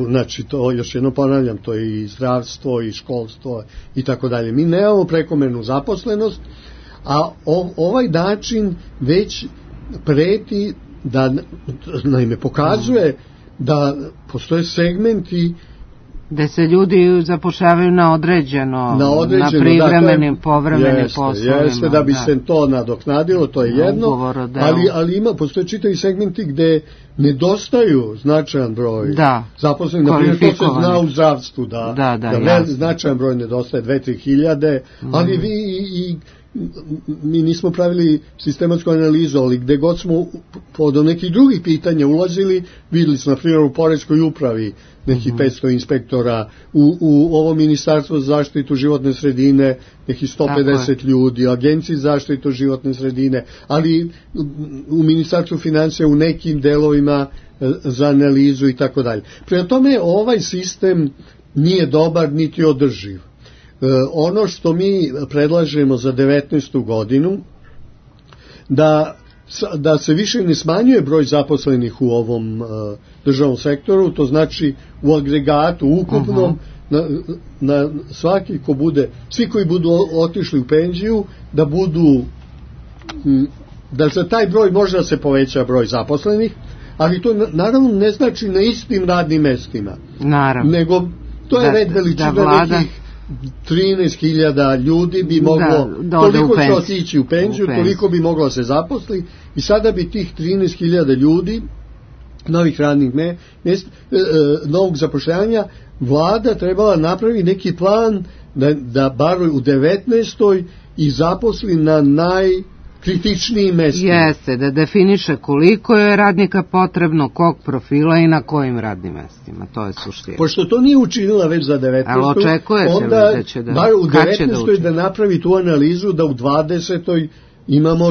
znači to još jedno ponavljam, to je i zdravstvo i školstvo i tako dalje. Mi nemamo prekomernu zaposlenost, a ovaj način već preti da, naime, pokazuje da postoje segmenti da se ljudi zapošljavaju na određeno, na privremenim, povremenim poslovima. Jeste, da bi se to nadoknadilo, to je jedno, ali postoje čitavi segmenti gde nedostaju značajan broj zaposlenih, na primjer to se zna u zdravstvu, da značajan broj nedostaje, 2-3 hiljade, ali mi nismo pravili sistematsku analizu, ali gde god smo do nekih drugih pitanja ulazili, videli smo, na primjer, u poreskoj upravi nekih 500 inspektora, u ovo ministarstvo za zaštitu životne sredine nekih 150 ljudi, agenciji za zaštitu životne sredine, ali u ministarstvu financija u nekim delovima za analizu i tako dalje. Prema tome, ovaj sistem nije dobar niti održiv. Ono što mi predlažemo za 19. godinu, da se više ne smanjuje broj zaposlenih u ovom državnom sektoru, to znači u agregatu ukupnom, na svaki ko bude, svi koji budu otišli u penziju, da za taj broj može da se poveća broj zaposlenih, ali to naravno ne znači na istim radnim mestima. Naravno. Nego to je red veličina nekih 13.000 ljudi bi moglo, toliko će otići u penziju, toliko bi moglo se zaposli, i sada bi tih 13.000 ljudi, novih radnih mjesta, novog zapošljavanja, vlada trebala napravi neki plan da bar u 19. i zaposli na najkritičnijim mestima. Jeste, da definiše koliko je radnika potrebno, kog profila i na kojim radnim mestima, to je suština. Pošto to nije učinila već za 19. Ali očekujete da će da... Bar u 19. da napravi tu analizu, da u 20. imamo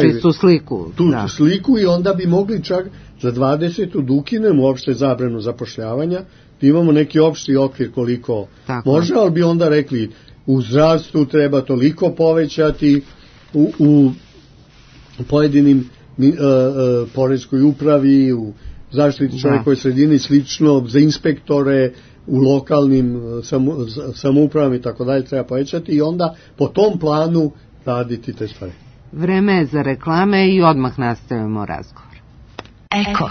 čistu sliku. Sliku, i onda bi mogli čak za 20. da ukinemo uopšte zabranu zapošljavanja, da imamo neki opšti okvir koliko može, ali bi onda rekli u zdravstvu treba toliko povećati, u pojedinim poreskoj upravi, u zaštiti čovjekove sredine i slično, za inspektore u lokalnim samoupravama i tako dalje treba povećati, i onda po tom planu raditi te stvari. Vreme je za reklame i odmah nastavimo razgovor. Eko.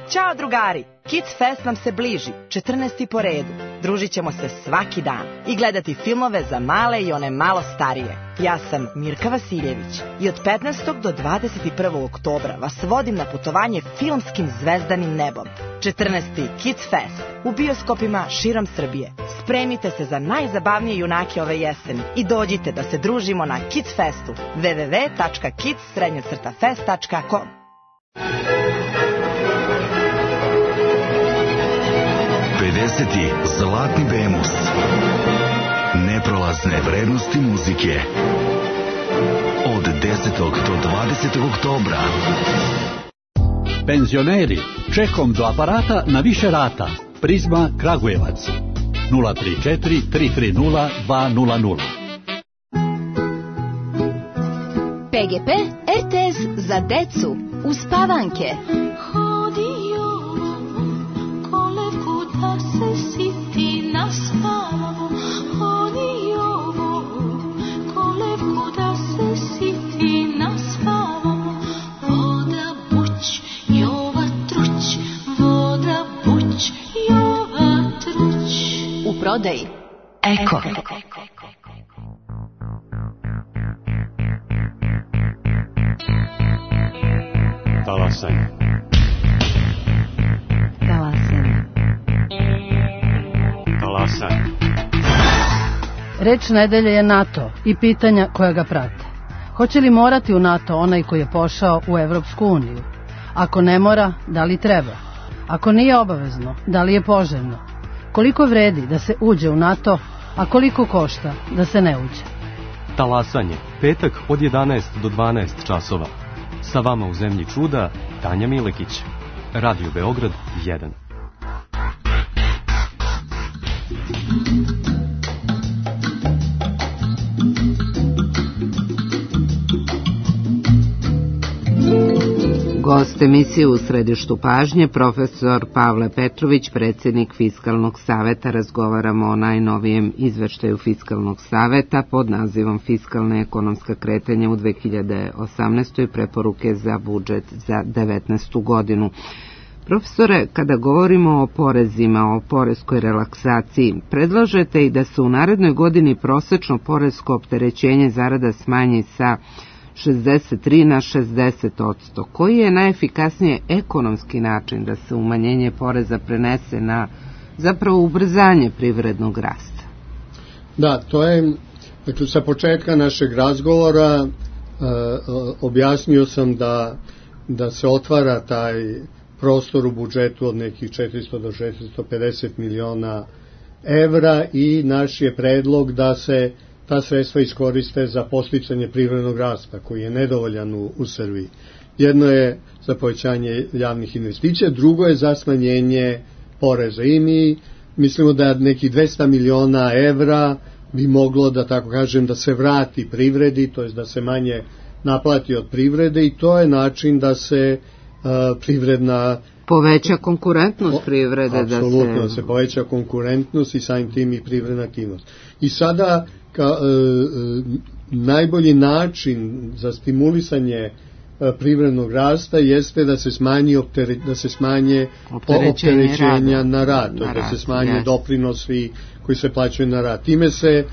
Ćao drugari, Kids Fest nam se bliži, 14. po redu. Družit ćemo se svaki dan i gledati filmove za male i one malo starije. Ja sam Mirka Vasiljević i od 15. do 21. oktobra vas vodim na putovanje filmskim zvezdanim nebom. 14. Kids Fest u bioskopima širom Srbije. Spremite se za najzabavnije junake ove jeseni i dođite da se družimo na Kids Festu. www.kids-fest.com. Zlatni Bemus. Neprolazne vrednosti muzike. Od 10. do 20. oktobra. Penzioneri, čekom do aparata na više rata. Prizma Kragujevac. 034 330 200. PGP RTS za decu. Uspavanke. Se siti na spavu, hodi ovo, kolevku da se siti na spavu, voda buć, jova truć, voda buć, jova truć. U prodaji Eko. Talasaj. Reč nedelje je NATO i pitanja koja ga prate. Hoće li morati u NATO onaj koji je pošao u Evropsku uniju? Ako ne mora, da li treba? Ako nije obavezno, da li je poželjno? Koliko vredi da se uđe u NATO, a koliko košta da se ne uđe? Talasanje, petak od 11 do 12 časova. Sa vama u zemlji čuda, Tanja Milekić. Radio Beograd 1. Gost emisije U središtu pažnje, profesor Pavle Petrović, predsjednik Fiskalnog saveta. Razgovaramo o najnovijem izveštaju Fiskalnog saveta pod nazivom Fiskalna i ekonomska kretanja u 2018. i preporuke za budžet za 2019. godinu. Profesore, kada govorimo o porezima, o poreskoj relaksaciji, predlažete i da se u narednoj godini prosečno poresko opterećenje zarada smanji sa 63 na 60%. Koji je najefikasnije ekonomski način da se umanjenje poreza prenese na zapravo ubrzanje privrednog rasta? Da, to je, dakle, sa početka našeg razgovora objasnio sam da se otvara taj prostor u budžetu od nekih 400 do 650 miliona evra i naš je predlog da se ta sredstva iskoriste za podsticanje privrednog rasta koji je nedovoljan u Srbiji. Jedno je za povećanje javnih investicija, drugo je za smanjenje poreza. I mi mislimo da nekih 200 miliona evra bi moglo, da tako kažem, da se vrati privredi, to je da se manje naplati od privrede, i to je način da se privredna poveća konkurentnost privrede. Apsolutno, da se poveća konkurentnost i samim tim i privredna aktivnost. I sada najbolji način za stimulisanje privrednog rasta jeste da se smanje opterećenja na rad, da se smanje doprinosi koji se plaćaju na rad. Time se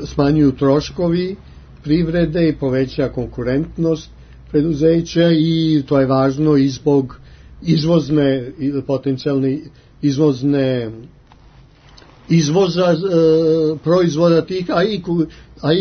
smanjuju troškovi privrede i poveća konkurentnost preduzeća, i to je važno i zbog izvozne, potencijalne izvoza proizvoda tih, a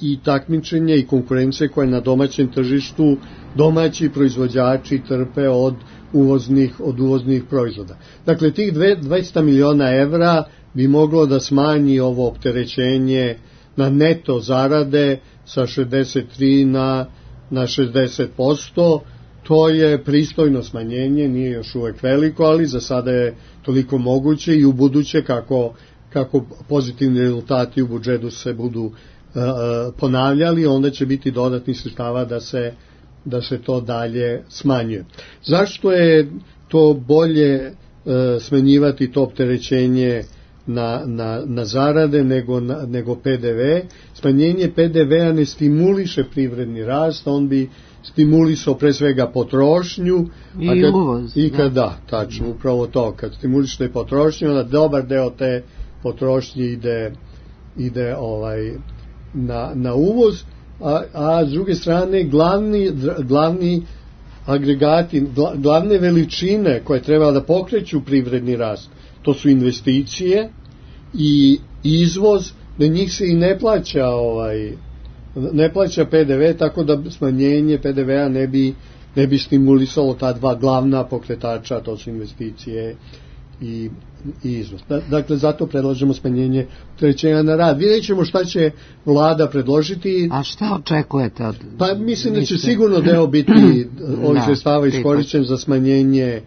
i takmičenje i konkurencije koje na domaćem tržištu domaći proizvođači trpe od uvoznih proizvoda. Dakle, tih 200 miliona evra bi moglo da smanji ovo opterećenje na neto zarade sa 63 na 60%. To je pristojno smanjenje, nije još uvek veliko, ali za sada je toliko moguće, i u buduće kako pozitivni rezultati u budžetu se budu ponavljali, onda će biti dodatnih sredstava da se to dalje smanjuje. Zašto je to bolje smanjivati to opterećenje na zarade nego PDV? Smanjenje PDV-a ne stimuliše privredni rast, on bi stimulisao pre svega potrošnju i uvoz. Da, tačno, upravo to. Kad stimuliše potrošnju, onda dobar deo te potrošnje ide na uvoz, a s druge strane glavni agregati, glavne veličine koje treba da pokreću privredni rast, to su investicije i izvoz, da njih se i ne plaća PDV, tako da smanjenje PDV-a ne bi stimulisalo ta dva glavna pokretača, to su investicije i izvoz. Dakle, zato predlažemo smanjenje opterećenja na rad. Vidjet ćemo šta će vlada predložiti. A šta očekujete od... Pa mislim da će sigurno deo biti ovih sredstava iskorišćen za smanjenje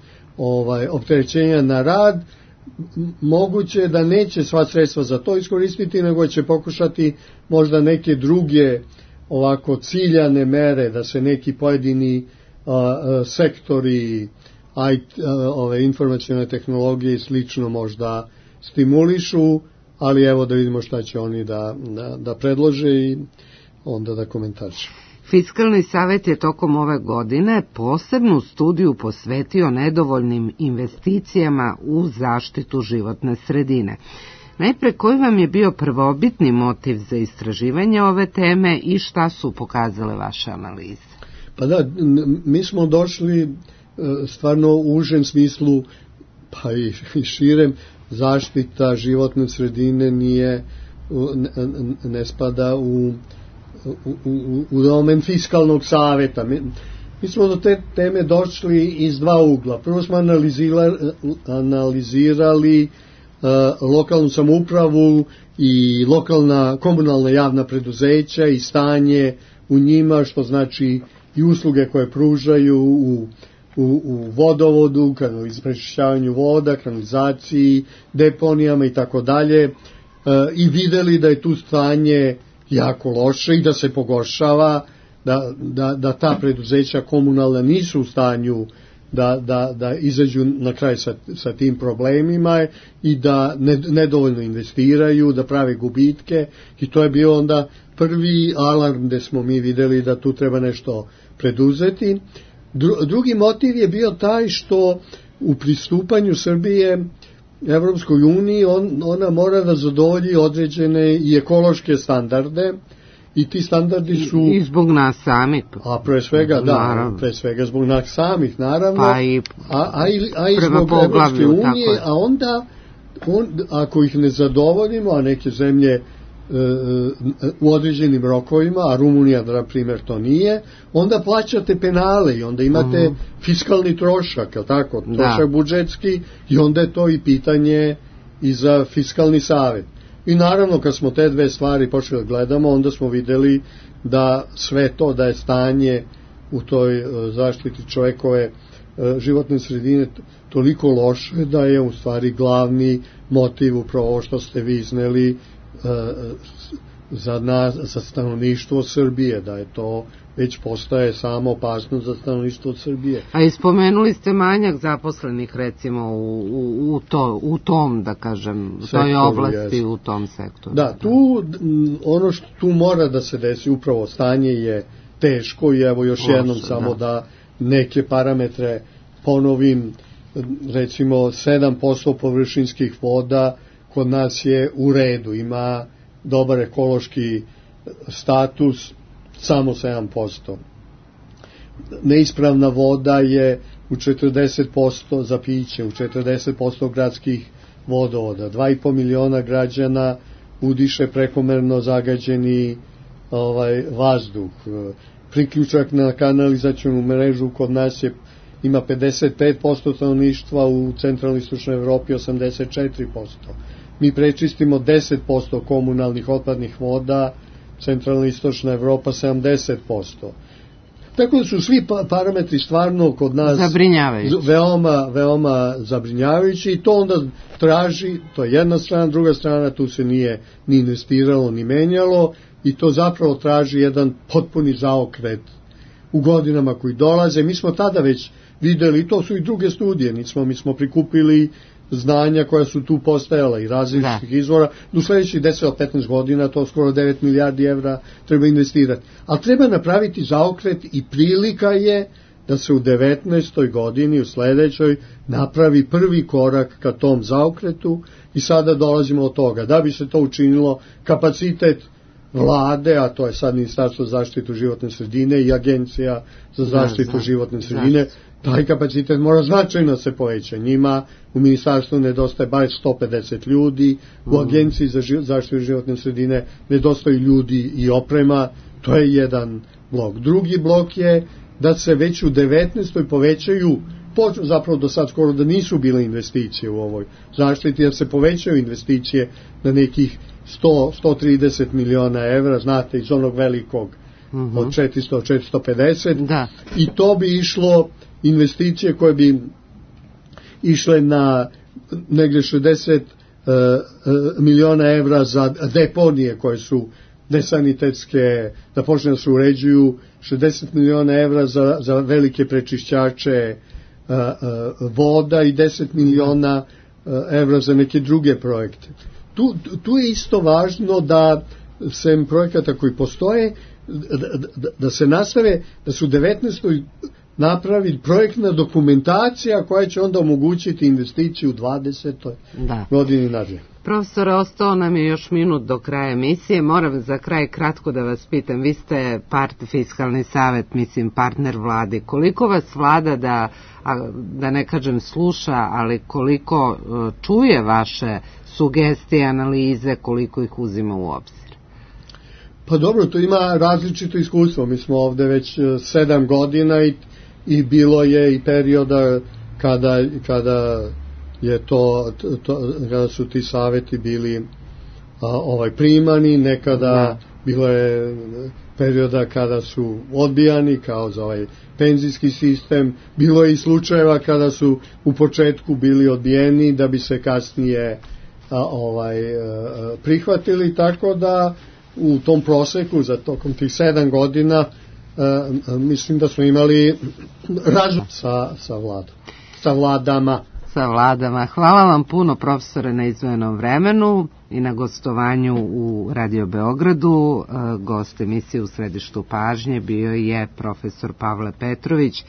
opterećenja na rad. Moguće da neće sva sredstva za to iskoristiti, nego će pokušati možda neke druge ovako ciljane mere, da se neki pojedini sektori informacione tehnologije i slično možda stimulišu, ali evo da vidimo šta će oni da predlože i onda da komentarišu. Fiskalni savet je tokom ove godine posebnu studiju posvetio nedovoljnim investicijama u zaštitu životne sredine. Najpre, koji vam je bio prvobitni motiv za istraživanje ove teme i šta su pokazale vaše analize? Pa da, mi smo došli stvarno u užem smislu, pa i širem, zaštita životne sredine ne spada u domen fiskalnog saveta. Mi smo do te teme došli iz dva ugla. Prvo smo analizirali lokalnu samoupravu i lokalna komunalna javna preduzeća i stanje u njima, što znači i usluge koje pružaju u vodovodu, prečišćavanju voda, kanalizaciji, deponijama i tako dalje, i videli da je tu stanje jako loše i da se pogoršava, da ta preduzeća komunalna nisu u stanju da izađu na kraj sa tim problemima i da nedovoljno investiraju, da prave gubitke, i to je bio onda prvi alarm gde smo mi videli da tu treba nešto preduzeti. Drugi motiv je bio taj što u pristupanju Srbije Evropskoj uniji ona mora da zadovolji određene i ekološke standarde, i ti standardi su... I zbog nas samih. A pre svega, pre svega zbog nas samih, naravno, pa i zbog Evropske unije, a onda, ako ih ne zadovoljimo, a neke zemlje u određenim rokovima, a Rumunija, na primjer, to nije, onda plaćate penale i onda imate fiskalni trošak, tako, trošak budžetski, i onda je to i pitanje i za fiskalni savet. I naravno, kad smo te dve stvari počeli da gledamo, onda smo videli da sve to, da je stanje u toj zaštiti čovekove životne sredine toliko loše, da je u stvari glavni motiv upravo ovo što ste vi izneli za stanovništvo Srbije, da je to već postaje samo opasnost za stanovništvo Srbije. A ispomenuli ste manjak zaposlenih, recimo, u tom, da kažem, u toj oblasti, u tom sektoru. Da, ono što tu mora da se desi, upravo stanje je teško, i evo još jednom samo da neke parametre ponovim, recimo 7% površinskih voda kod nas je u redu, ima dobar ekološki status, samo 7%. Neispravna voda je u 40% za piće, u 40% gradskih vodovoda. 2,5 miliona građana udiše prekomerno zagađeni vazduh. Priključak na kanalizacionu mrežu kod nas ima 55% stanovništva, u centralnoj istočnoj Evropi 84%. Mi prečistimo 10% komunalnih otpadnih voda, centralna istočna Evropa 70%. Tako da su svi parametri stvarno kod nas veoma zabrinjavajući, i to onda traži, to je jedna strana, druga strana, tu se nije ni investiralo ni menjalo, i to zapravo traži jedan potpuni zaokret u godinama koji dolaze. Mi smo tada već videli, to su i druge studije, mi smo prikupili znanja koja su tu postajala i različitih izvora. U sledećih 10-15 godina to skoro 9 milijardi evra treba investirati. Ali treba napraviti zaokret, i prilika je da se u 19. godini, u sledećoj, napravi prvi korak ka tom zaokretu, i sada dolazimo od toga. Da bi se to učinilo, kapacitet vlade, a to je sad Ministarstvo za zaštitu životne sredine i Agencija za zaštitu životne sredine, taj kapacitet mora značajno se poveća. Njima u ministarstvu nedostaje bar 150 ljudi, u Agenciji za zaštitu životne sredine nedostaju ljudi i oprema. To je jedan blok. Drugi blok je da se već u 19. povećaju, zapravo do sad skoro da nisu bile investicije u ovoj zaštiti, jer se povećaju investicije na nekih 130 miliona evra, znate, iz onog velikog od 400-450, i to bi išlo, investicije koje bi išle na negde 60 miliona evra za deponije koje su nesanitetske, da počne da se uređuju, 60 miliona evra za velike prečišćače voda i 10 miliona evra za neke druge projekte. Tu je isto važno da sem projekata koji postoje, da se nastave, da su u 19. napravi projektna dokumentacija koja će onda omogućiti investiciju u 20. godini nadalje. Profesore, ostao nam je još minut do kraja emisije. Moram za kraj kratko da vas pitam. Vi ste fiskalni savet, partner vladi. Koliko vas vlada, da ne kažem sluša, ali koliko čuje vaše sugestije, analize, koliko ih uzima u obzir? Pa dobro, to ima različito iskustvo. Mi smo ovde već 7 godina i bilo je i perioda kada je to kada su ti saveti bili primani, nekada bilo je perioda kada su odbijani, kao za ovaj penzijski sistem, bilo je i slučajeva kada su u početku bili odbijeni da bi se kasnije prihvatili, tako da u tom proseku za tokom tih 7 godina mislim da smo imali razum sa vladama. Hvala vam puno, profesore, na izdvojenom vremenu i na gostovanju u Radio Beogradu. Gost emisije U središtu pažnje bio je profesor Pavle Petrović,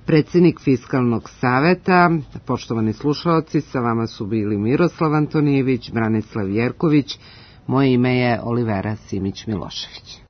predsjednik Fiskalnog saveta. Poštovani slušaoci, sa vama su bili Miroslav Antonijević, Branislav Jerković. Moje ime je Olivera Simić Milošević.